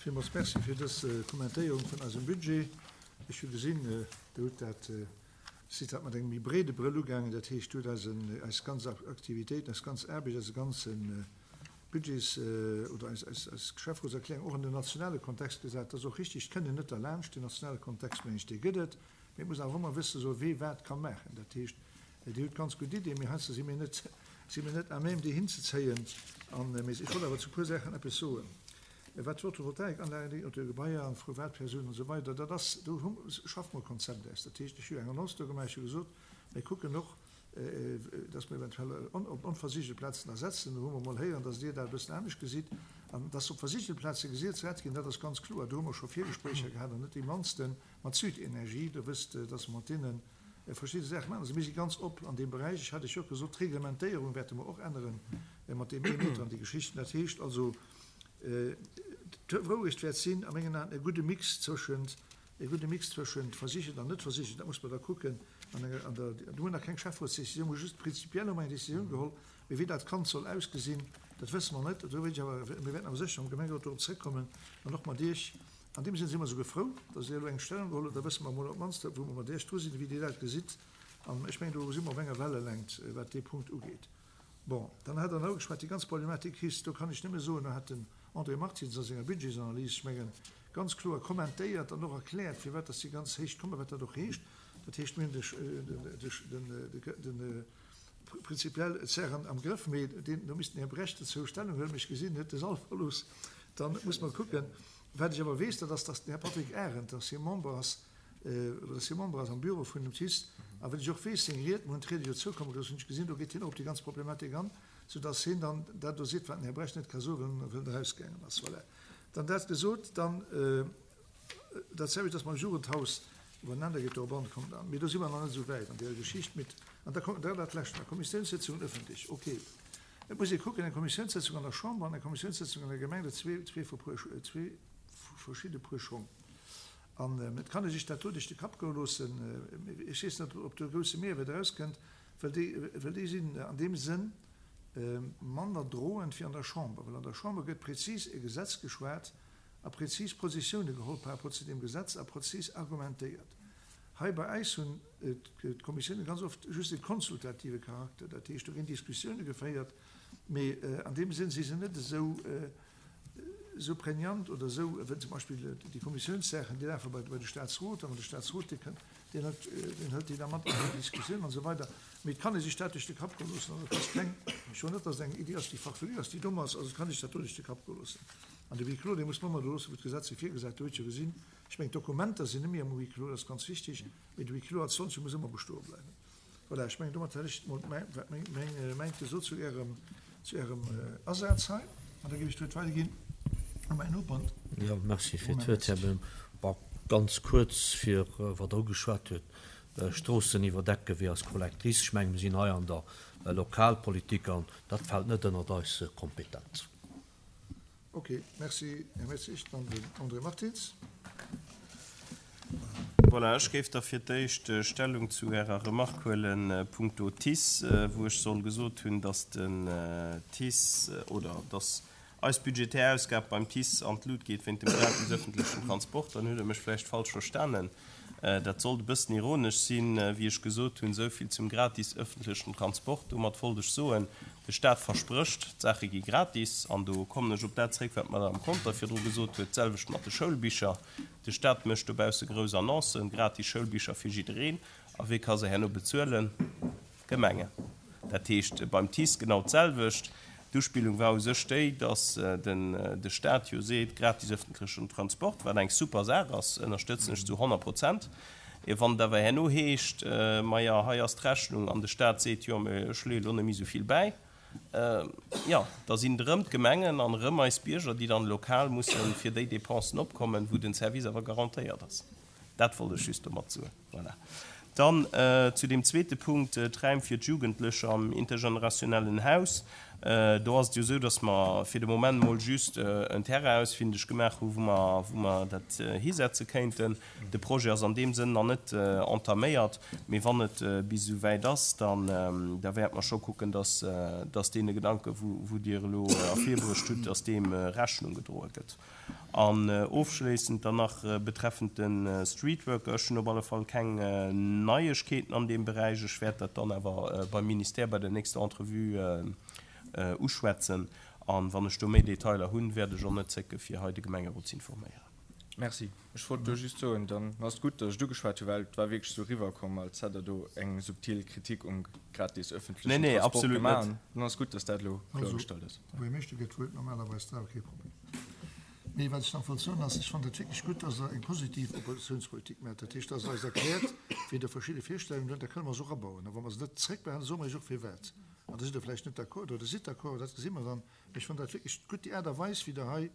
Villmools Merci fir dës Kommentéierung vun eisem Budget. Ech hu gesinn, Der hutt dat, sidd dat mat engem méi breede Brëll ugaangen. Dat heescht, Der hutt eisen, eis ganz Aktivitéiten, eis ganz Aarbecht, eise ganze Budgets oder eis, eis, eis Geschäftsrotserklärung och an den nationale Kontext gesat. Dat ass och richtig. Et kënnt een net derlaanscht. Den nationale Kontext, mengen ech, dee gëtt et. Mee et muss awer ëmmer wësse soen, wee wat ka maachen. Dat heescht, Dir hutt ganz gutt Iddien, mee heiansdo si mir net, si mir net à même, déi hinzezéien. An, mee ech wollt awer zu e puer Saachen eppes soen. Wat d'Photovoltaikanlagen ugeet, op de Gebaier an d'Privatpersounen an esou weider, dat ass, do hu, schaffe mer e Konzept aus. Dat heescht, ech hu eng Annonce do gemaach, ech hu gesot, mir kucken och, dass mer eventuell op onversigelte Plazen ersetzen. Do hu mer emol héieren, dass Dir dat e bëssen anescht gesitt. An dass op versigelte Plaze gesat ginn, dat ass ganz kloer. Do hu mer scho Virgespréicher gehat, an net déi mannsten, mat Südenergie. Der wësst, dass mer mat deene verschidde Saache maachen. Also mir si ganz op an deem Beräich. Ech hat Iech jo och gesot, d'Reglementéierung wäerte mer och änneren mat deem ee Meter an déi Geschichten. Dat heescht also, d'Wourecht wäert sinn a mengen Aen e gudde Mix zwëschent, e gudde Mix zwëschent versichert an net versichert. Dat muss mer da kucken an enger, an der, do hunn nach keng Schäfferotsdecisioun, mir hu just prinzipiell hu mer eng Decisioun geholl, mee wéi dat Kand soll ausgesinn, dat wësse mer net. Do wéilt ech awer, mir wäerten awer sécher am Gemengerot dorop zrëckkommen an och mat Iech. An deem Sënn si mer esouguer frou, dass Dir elo eng Stellung geholl hutt. Da wësse mer emol op d'mannst, wou mer mat Iech dru sinn, wéi Dir dat gesitt. An ech mengen, do si mer op enger Wellelängt, wat dee Punkt ugeet. Bon, dann hat Der nach ugeschwat, déi ganz Problematik HIS. Do kann ech nëmme soen, do hat den André Martins a senger Budgetsanalys, ech mengen, ganz kloer kommentéiert an och erkläert, firwat dass déi ganz Héicht kommen, wat dat och heescht. Dat heescht, mir hunn de, prinzipiell d'Saachen am Grëff, mee deen, do misst den Här Brecht dozou Stellung huelen, mee ech gesinn, en huet de Sall verlooss. Dann muss mer kucken. Wat ech awer weess, dat ass, dass den Här Patrick Arendt, dass hie Member ass, dass hie Member ass am Büro vun dem TICE, a wat ech och weess, seng Ried, mir hunn d'Ried jo zoukomme gelooss, hunn ech gesinn, do geet hien och op déi ganz Problematik an, soudass hien dann dat do seet, wat den Här Brecht net ka soen, well en erausgaangen ass. Voilà. Dann dat gesot, dann dat selwecht ass mam Jugendhaus, iwwernander geet do op an, kommt an. Mee do si mer nach net esou wäit an deeër Geschicht. Mit, an da kommt da dat Lescht nach, Kommissiounssëtzungen öffentlech, okay. Et muss ee kucken, eng Kommissiounssëtzung an der Chamber an eng Kommissiounssëtzung an der Gemeng, dat si zwee verschidde Puer Schong. An et kann ee sech dat do duerch de Kapp goe loossen. Ech weess net, ob do e grousse Mehrwäert erauskënnt, well déi, well déi sinn an deem Sënn manner droend wéi an der Chamber. Well an der Chamber gëtt prezis e Gesetz geschwat a prezis Positioune geholl par rapport zu deem Gesetz a prezis argumentéiert. Hei bei äis hunn d'Kommissioune ganz oft just e konsultative Charakter, dat heescht, do ginn Diskussioune geféiert, mee an deem Sënn si se net esou esou prégnant oder esou, wéi zum Beispill déi Kommissiounssaachen, déi lafe bei de Statsrot, a wann de Statsrot dee kënnt, deen hëlt, deen hëlt déi da mat an déi Diskussioun an esou weider. Mee et kann ee sech dat duerch de Kapp goe loossen. Also et ass keng, ech soen net, datt et eng Iddi ass, déi farfelu ass, déi domm ass, also et kann ee sech dat do duerch de Kapp goe loossen. An de Huis clos, dee muss mer ëmmer do loossen, wou d'Gesetz e virgesäit, do hutt jo gesinn, Ech mengen, d'Dokumenter sinn net méi am Huis clos, dat ass ganz wichtig, mee de Huis clos als solche muss ëmmer bestoe bleiwen. Voilà, ech mengen, domat hätt ech emol mäint gesot zu Ärem, zu Ärem Asaz hei. An da géif ech d'Wuert weiderginn u mäin Noper. Jo, merci fir d'Wuert, Här Boehm. Bon, ganz kuerz, fir wat Der ugeschwat huet, Stroossen iwwerdecken wéi eis Collectrice. Ech mengen, mir sinn hei an der Lokalpolitik an dat fält net ënnert eis Kompetenz. Ok, merci Här Messig. Dann den André Martins. Voilà, ech géif da fir d'éischt Stellung zu Ärer Remarque huelen punkto TICE, wou ech soll gesot hunn, dass den TICE oder dass eis budgetär Ausgab beim TICE an d'Lut geet wéint dem gratis öffentlechen Transport. Dann hutt Der mech vläicht falsch verstanen. Dat sollt e bëssen ironesch sinn, wéi ech gesot hunn, esou vill zum gratis öffentlechen Transport. Domat wollt ech soen, de Staat versprécht, d'Saache gi gratis. An do kommen ech op dat zréck, wat d'Madame Conter virdru gesot huet, d'selwecht mat de Schoulbicher. De Staat mécht dobausse grouss Annoncen, gratis Schoulbicher fir jiddereen. A wie ka se herno bezuelen? D'Gemengen. Dat heescht beim TICE genau d'selwecht. D'Uspillung war u sech déi, datt den de Staat jo seet, gratis öffentlechen Transport, wat eng super Saach ass, ënnerstëtzen ech zu 100 Prozent. Wann et awer herno heescht, maja hei ass d'Rechnung an de Staat seet, jo mä ech leeë lo net méi esou vill bäi, jo da sinn et erëm d'Gemengen an erëm eis Bierger, déi dann lokal musse fir déi Dépensen opkommen, wou den Service awer garantéiert ass. Dat wollt ech just domat soen. Voilà. Dann zu deem zweete Punkt, d'Räim fir d'Jugendlecher am intergenerationellen Haus. Do ass et jo esou, dass mer fir de Moment emol just en Terrain ausfindeg gemaach hu wou mer, wou mer dat hisetze kéinten. De Projet ass an deem Sënn nach net entaméiert, mee wann et bis esou wäit ass, dann da wäerte mer scho kucken, dass, dass deene Gedanken, wou, wou Dir elo ervirbruecht hutt, dass deem Rechnung gedroe gëtt. An ofschléissend dann nach betreffend de Streetworker, Ech hunn op alle Fall keng Neiegkeeten an deem Beräich. Ech wäert dat dann awer beim Ministère bei der nächster Entrevue uschwätzen. A wann ech do méi Detailer hunn, wäert ech och net zécke fir hei de Gemengerot ze informéieren. Merci. Ech wollt do just soen, dann ass et gutt, datt ech et ugeschwat hunn, well et war wierklech esou eriwwerkomm, als hätt Der do eng subtil Kritik um gratis öffentlechen Transport gemaach. Dann ass et gutt, datt dat elo kloergestallt ass. Also, Buergermeeschter gëtt d'Wuert normalerweis, dat ass awer kee Problem. Mee wat ech nach wollt soen ass, ech fannen dat wierklech gutt, datt Der eng positiv Oppositionspolitik maacht. Dat heescht, datt Der eis erkläert, wéi Der verschidde Virstellungen hutt, da kënne mer se och abauen. A wa mer se net zréckbehalen, soe mer Iech och firwat. An da sidd Der vläicht net d'accord oder sidd d'accord, dat gesi mer dann. Mee ech fannen dat wierklech gutt, déi Aart a Weis, wéi Der hei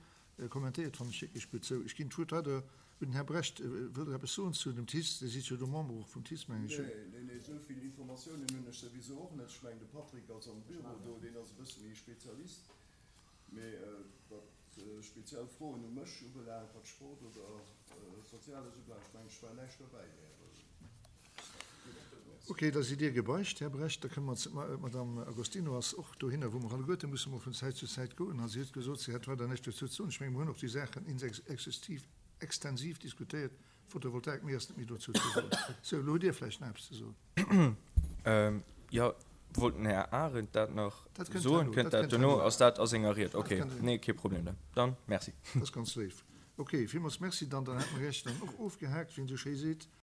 Kommentéiert fannen ech wierklech gutt. Sou, ech ginn d'Wuert weider un den Här Brecht. Wëllt Der eppes soen zu dem TICE? Dir sidd jo do Member och vum TICE, mengen ech. Nee, nee, nee, esou vill Informatiounen hunn ech souwisou och net. Ech mengen, de Patrick ass am Büro do, deen ass e bësse méi Spezialist. Mee wat speziell Froen u mech ubelaangt, wat Sport oder Soziales ubelaangt, ech mengen, ech war näischt derbäi, Här. Ok, da sidd Dir gebeicht, Här Brecht. Da kënne mer zu, d'Madame Agostino ass och dohinner, wou mer alleguerte musse mol vun Zäit zu Zäit goen. A si huet gesot, si hätt weider näischt dozou ze soen. Ech menge mer hunn och déi Saachen exhaustiv, extensiv diskutéiert. Photovoltaik, méi ass net méi dozou ze soen. Sou, elo hutt Dir vläicht nach eppes ze soen. Jo, wollt den Här Arendt dat nach soen? Kënnt dat duerno? Ass dat a senger Ried? Ok, nee, kee Problem dann. Dann merci. Dat ass ganz léif. Ok, villmools Merci dann. Dann hätte mer Iech dann och ofgehaakt, wéi een esou schéi seet.